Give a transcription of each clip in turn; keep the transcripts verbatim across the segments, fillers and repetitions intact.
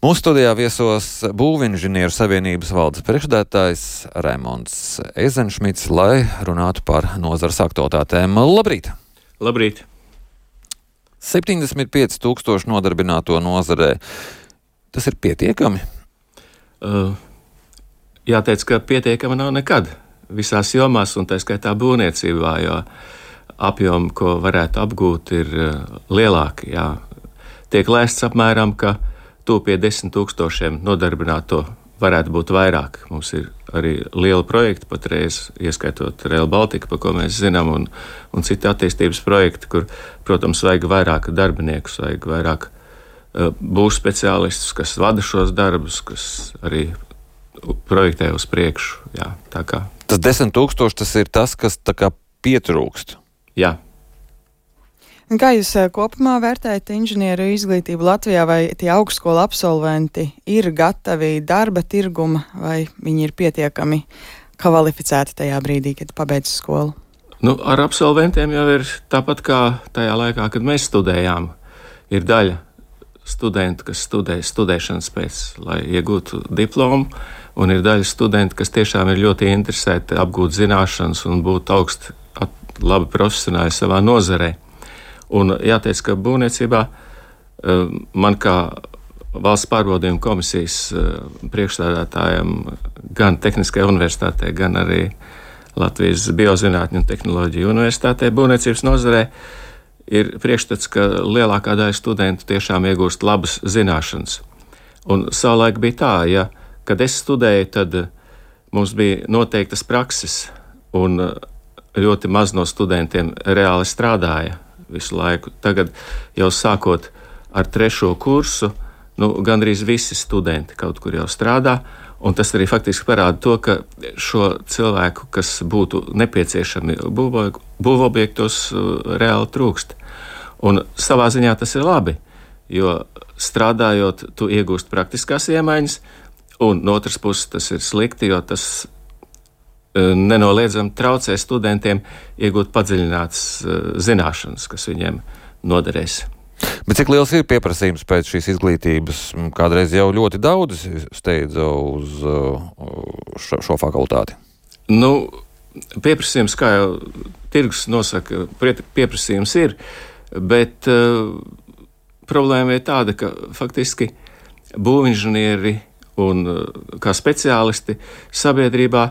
Mūsu studijā viesos Būvinženieru savienības valdes priekšsēdētājs Raimonds Eizenšmits, lai runātu par nozares aktualitātēm. Labrīt! Labrīt! septiņdesmit pieci tūkstoši nodarbināto nozarē. Tas ir pietiekami? Uh, jāteic, ka pietiekami nav nekad. Visās jomās, un tā skaitā būvniecībā, jo apjomi, ko varētu apgūt, ir uh, lielāki. Jā. Tiek lēsts apmēram, ka tuvu pie desmit tūkstošiem nodarbināto varētu būt vairāk. Mums ir arī liela projekta patreiz, ieskaitot Rail Baltica, par ko mēs zinām, un, un citi attīstības projekti, kur, protams, vajag vairāk darbiniekus, vajag vairāk uh, būs speciālistus, kas vada šos darbus, kas arī projektē uz priekšu. Jā, tā kā. Tas desmit tūkstoši, tas ir tas, kas tā kā pietrūkst. Jā. Kā jūs kopumā vērtējat inženieru izglītību Latvijā, vai tie augstskolu absolventi ir gatavi darba tirguma, vai viņi ir pietiekami kvalificēti tajā brīdī, kad pabeidz skolu? Nu, ar absolventiem jau ir tāpat kā tajā laikā, kad mēs studējām. Ir daļa studentu, kas studē studēšanas pēc, lai iegūtu diplomu, un ir daļa studentu, kas tiešām ir ļoti interesēti apgūt zināšanas un būt augsti labi profesionāli savā nozarē. Un jāteic, ka būvniecībā man kā valsts pārbaudījuma komisijas priekšstādātājam gan Tehniskajā universitātē, gan arī Latvijas Biozinātņu un tehnoloģiju universitātē būvniecības nozarē ir priekšstats, ka lielākā daļa studentu tiešām iegūst labas zināšanas. Un savulaik bija tā, ja, kad es studēju, tad mums bija noteiktas prakses, un ļoti maz no studentiem reāli strādāja visu laiku. Tagad jau sākot ar trešo kursu, nu, gandrīz visi studenti kaut kur jau strādā, un tas arī faktiski parāda to, ka šo cilvēku, kas būtu nepieciešami būvobjektos, reāli trūkst. Un savā ziņā tas ir labi, jo strādājot, tu iegūst praktiskās iemaņas, un no otras puses tas ir slikti, jo tas nenoliedzami traucē studentiem iegūt padziļinātas zināšanas, kas viņiem noderēs. Bet cik liels ir pieprasījums pēc šīs izglītības? Kādreiz jau ļoti daudz steidza uz šo, šo fakultāti. Nu, pieprasījums, kā jau tirgus nosaka, pieprasījums ir, bet uh, problēma ir tāda, ka faktiski būvinženieri un uh, kā speciālisti sabiedrībā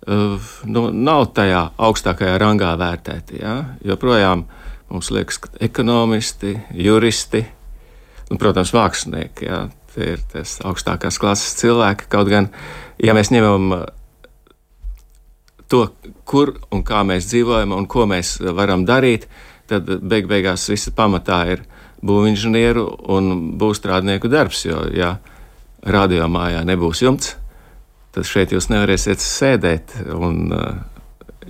Uh, nu, nav tajā augstākajā rangā vērtēti. Ja? Joprojām mums liekas, ka ekonomisti, juristi, un, protams, mākslinieki, ja? Tie ir tas augstākās klases cilvēki. Kaut gan, ja mēs ņemam to, kur un kā mēs dzīvojam un ko mēs varam darīt, tad beig beigās visa pamatā ir būvinženieru un būvstrādnieku darbs, jo, ja radiomājā nebūs jumts, tad šeit jūs nevarēsiet sēdēt, un,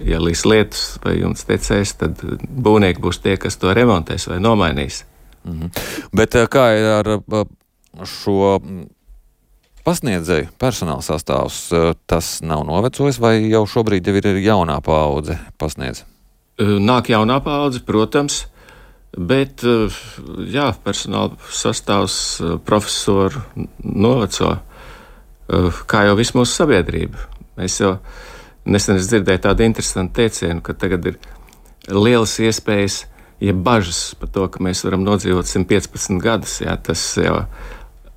ja līs lietus vai jums tecēs, tad būvnieki būs tie, kas to remontēs vai nomainīs. Mhm. Bet kā ir ar šo pasniedzēju personāla sastāvs? Tas nav novecojis, vai jau šobrīd jau ir jaunā paudze pasniedz? Nāk jaunā paudze, protams, bet jā, personāla sastāvs profesoru noveco. Kā jau visu mūsu sabiedrību. Mēs jau nesen dzirdēju tādu interesantu teicienu, ka tagad ir lielas iespējas, ja bažas par to, ka mēs varam nodzīvot simt piecpadsmit gadus. Jā, tas jau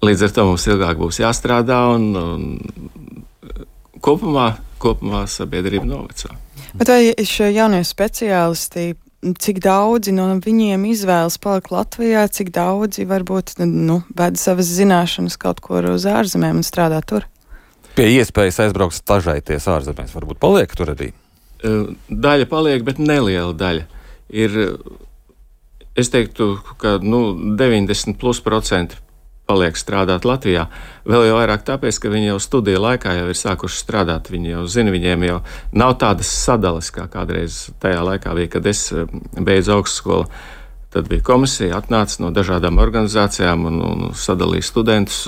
līdz ar to mums ilgāk būs jāstrādā, un, un kopumā, kopumā sabiedrība noveco. Bet vai šie jaunie speciālisti, cik daudzi no viņiem izvēlas palikt Latvijā, cik daudzi varbūt nu, ved savas zināšanas kaut kur uz ārzemēm un strādā tur? Pie iespējas aizbraukt stažēties ārzemēs, varbūt paliek tur arī? Daļa paliek, bet neliela daļa. Ir, es teiktu, ka nu, deviņdesmit plus procenti paliek strādāt Latvijā. Vēl jau vairāk tāpēc, ka viņi jau studiju laikā jau ir sākuši strādāt. Viņi jau zina, viņiem jau nav tādas sadalas, kā kādreiz tajā laikā bija, kad es beidzu augstskolu. Tad bija komisija, atnāca no dažādām organizācijām un, un sadalīja studentus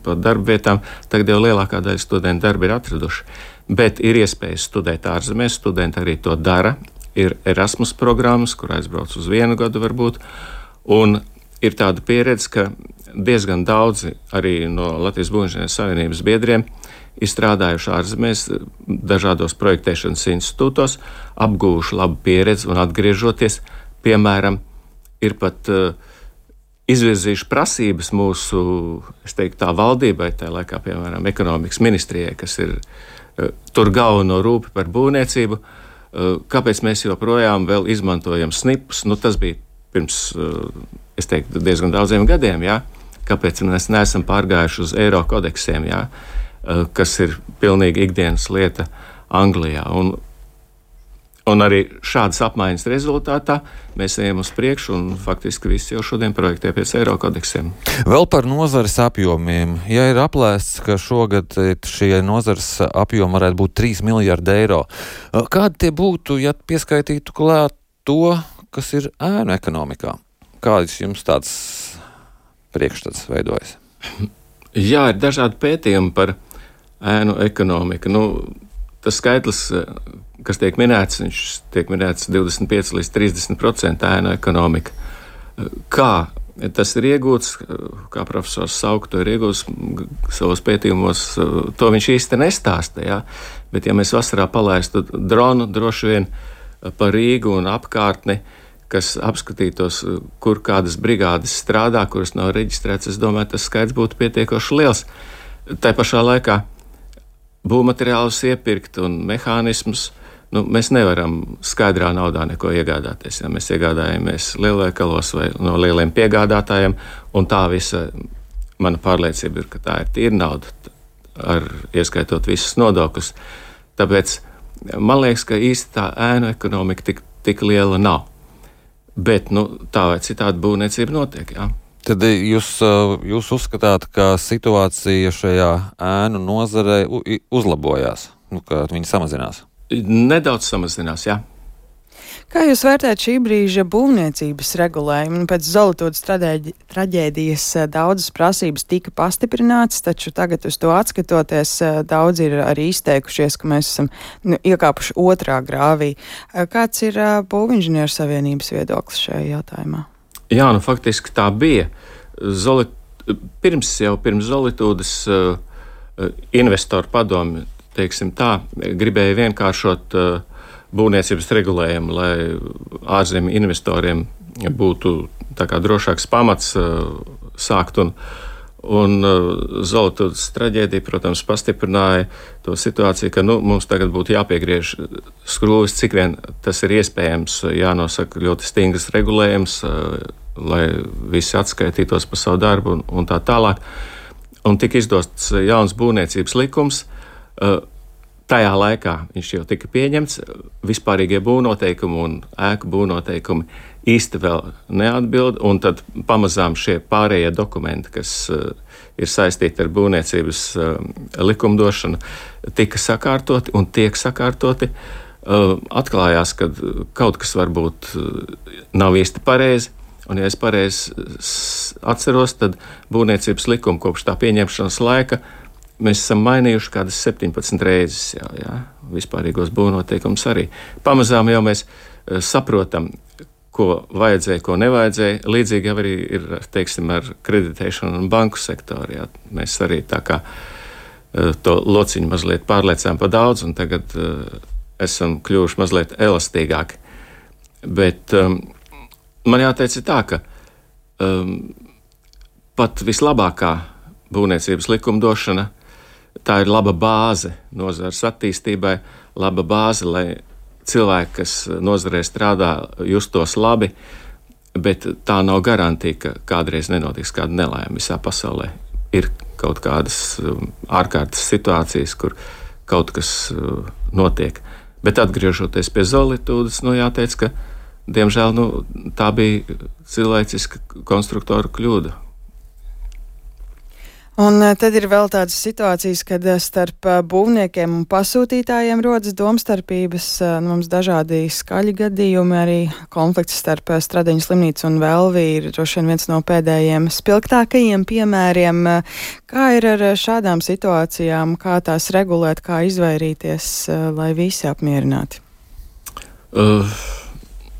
pa darba vietām. Tagad jau lielākā daļa studentu darbu ir atraduši. Bet ir iespējas studēt ārzemēs, studenti arī to dara. Ir Erasmus programmas, kur aizbrauc uz vienu gadu varbūt. Un ir tāda pieredze, ka diezgan daudzi arī no Latvijas Būvniecības savienības biedriem ir strādājuši ārzemēs dažādos projektēšanas institūtos, apguvuši labu pieredzi un atgriežoties, piemēram, ir pat uh, izvirzījuši prasības mūsu, es teiktu, tā valdībai, tā laikā, piemēram, ekonomikas ministrijai, kas ir uh, tur galveno rūpi par būvniecību, uh, kāpēc mēs joprojām vēl izmantojam snipus. Nu, tas bija pirms, uh, es teiktu, diezgan daudziem gadiem, jā? Kāpēc mēs neesam pārgājuši uz eiro kodeksiem, jā? Uh, kas ir pilnīgi ikdienas lieta Anglijā. Un, Un arī šādas apmaiņas rezultātā mēs ejam uz priekšu un faktiski visi jau šodien projektē pēc eiro kodeksiem. Vēl par nozares apjomiem. Ja ir aplēsts, ka šogad šie nozares apjomi varētu būt trīs miljardi eiro, kādi tie būtu, ja pieskaitītu klāt to, kas ir ēnu ekonomikā? Kāds jums tāds priekšstats veidojas? Jā, ir dažādi pētījumi par ēnu ekonomiku. Nu, tas skaitlis, kas tiek minēts, viņš tiek minēts divdesmit pieci līdz trīsdesmit procenti ēnu ekonomika. Kā tas ir iegūts, kā profesors Sauka to ir iegūts savos pētījumos, to viņš īsti nestāsta. Ja? Bet ja mēs vasarā palaistu dronu droši vien pa Rīgu un apkārtni, kas apskatītos, kur kādas brigādes strādā, kuras nav reģistrētas, es domāju, tas skaits būtu pietiekoši liels. Tā pašā laikā būvmateriālus iepirkt un mehānismus, nu, mēs nevaram skaidrā naudā neko iegādāties. Ja mēs iegādājamies lielveikalos vai no lieliem piegādātājiem, un tā visa mana pārliecība ir, ka tā ir tīra nauda, ar, ieskaitot visus nodokļus. Tāpēc man liekas, ka īsti tā ēnu ekonomika tik, tik liela nav. Bet nu, tā vai citādi būvniecība notiek, jā. Tad jūs, jūs uzskatāt, ka situācija šajā ēnu nozarē uzlabojās, nu, ka viņi samazinās? Nedaudz samazinās, jā. Kā jūs vērtējat šī brīža būvniecības regulējumu? Pēc Zolitūdas traģēdijas daudzas prasības tika pastiprinātas, taču tagad uz to atskatoties daudz ir arī izteikušies, ka mēs esam nu, iekāpuši otrā grāvī. Kāds ir Būvinženieru savienības viedoklis šajā jautājumā? Jā, nu faktiski tā bija. Zolit... Pirms jau pirms Zolitūdas uh, investoru padomi, teiksim tā, gribēja vienkāršot uh, būvniecības regulējumu, lai ārzemju investoriem būtu tā kā drošāks pamats uh, sākt. Un, un uh, Zolitūdas traģēdija, protams, pastiprināja to situāciju, ka nu, mums tagad būtu jāpiegriež skrūvis, cik vien tas ir iespējams, jānosaka ļoti stingrs regulējums, uh, lai visi atskaitītos par savu darbu un, un tā tālāk. Un tika izdots jauns būvniecības likums. Tajā laikā viņš jau tika pieņemts. Vispārīgie būvnoteikumi un ēku būvnoteikumi īsti vēl neatbild, un tad pamazām šie pārējie dokumenti, kas ir saistīti ar būvniecības likumdošanu, tika sakārtoti un tiek sakārtoti. Atklājās, ka kaut kas varbūt nav īsti pareizi. Un, ja es pareizi atceros, tad būvniecības likuma kopš tā pieņemšanas laika mēs esam mainījuši kādas septiņpadsmit reizes jau, jā, vispārīgos būvnoteikumus arī. Pamazām jau mēs saprotam, ko vajadzēja, ko nevajadzēja. Līdzīgi arī ir, teiksim, ar kreditēšanu un banku sektoru. Jā. Mēs arī tā kā to lociņu mazliet pārliecām pa daudz, un tagad uh, esam kļuvuši mazliet elastīgāki. Bet um, man jāteic tā, ka um, pat vislabākā būvniecības likumdošana, tā ir laba bāze nozares attīstībai, laba bāze, lai cilvēki, kas nozarē strādā, justos labi, bet tā nav garantija, ka kādreiz nenotiks kāda nelaime visā pasaulē. Ir kaut kādas um, ārkārtas situācijas, kur kaut kas uh, notiek. Bet atgriežoties pie Zolitūdas, nu jāteic, ka diemžēl nu, tā bija cilvēciska konstruktora kļūda. Un tad ir vēl tādas situācijas, kad starp būvniekiem un pasūtītājiem rodas domstarpības. Mums dažādi skaļi gadījumi, arī konflikts starp Stradiņu slimnīcu un Velvi ir droši vien viens no pēdējiem spilgtākajiem piemēriem. Kā ir ar šādām situācijām, kā tās regulēt, kā izvairīties, lai visi apmierināti? Uh.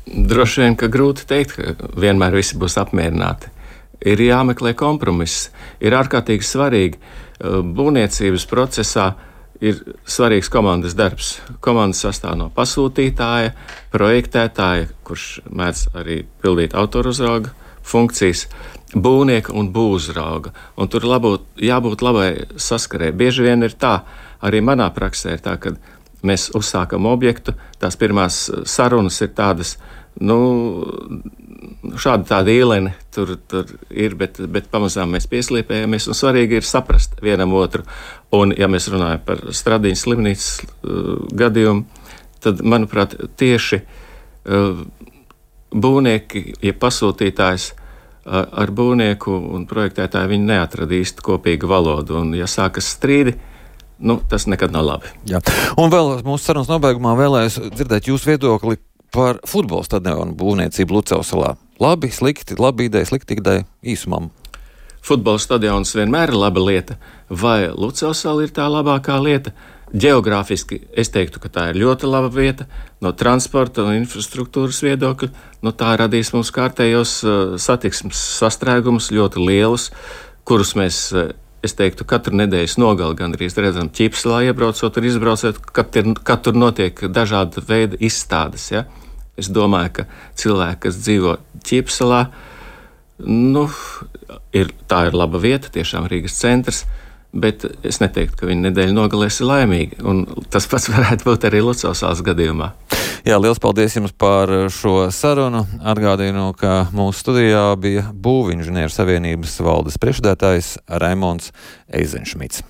Droši vien, ka grūti teikt, ka vienmēr visi būs apmierināti. ir jāmeklē kompromiss. Ir ārkārtīgi svarīgi būvniecības procesā. Ir svarīgs komandas darbs. Komandas sastāv no pasūtītāja, projektētāja, kurš mēdz arī pildīt autoruzrauga funkcijas, būvnieka un būvuzrauga. Un tur labot, jābūt labai saskarē. Bieži vien ir tā, arī manā praksē ir tā, ka mēs uzsākam objektu, tās pirmās sarunas ir tādas, nu, šāda tāda īlene tur, tur ir, bet, bet pamazām mēs pieslīpējamies, un svarīgi ir saprast vienam otru. Un, ja mēs runājam par Stradiņas slimnīcas uh, gadījumu, tad, manuprāt, tieši uh, būvnieki, ja pasūtītājs uh, ar būvnieku un projektētāju, viņi neatrada īsti kopīgu valodu, un, ja sākas strīdi, nu, tas nekad nav labi. Jā. Un vēl mūsu sarunas nobeigumā vēlējos dzirdēt jūsu viedokli par futbola stadionu būvniecību Lucavsalā. Labi, slikti, labi ideja, slikti ideja īsumā. Futbola stadions vienmēr ir laba lieta, vai Lucavsala ir tā labākā lieta? Geogrāfiski es teiktu, ka tā ir ļoti laba vieta. No transporta un infrastruktūras viedokļa, nu, tā radīs mums kārtējos uh, satiksmes sastrēgumus ļoti lielus, kurus mēs, uh, es teiktu, katru nedēļas nogali gandrīz redzam Ķipselā iebraucot un izbraucot, kad, ir, kad tur notiek dažāda veida izstādes, ja? Es domāju, ka cilvēki, kas dzīvo Ķipselā, nu, ir, tā ir laba vieta, tiešām Rīgas centrs, bet es neteiktu, ka viņa nedēļa nogalēs ir laimīgi, un tas pats varētu būt arī Lucavsalas gadījumā. Jā, liels paldies jums par šo sarunu. Atgādinu, ka mūsu studijā bija Būvinženieru savienības valdes priekšsēdētājs Raimonds Eizenšmits.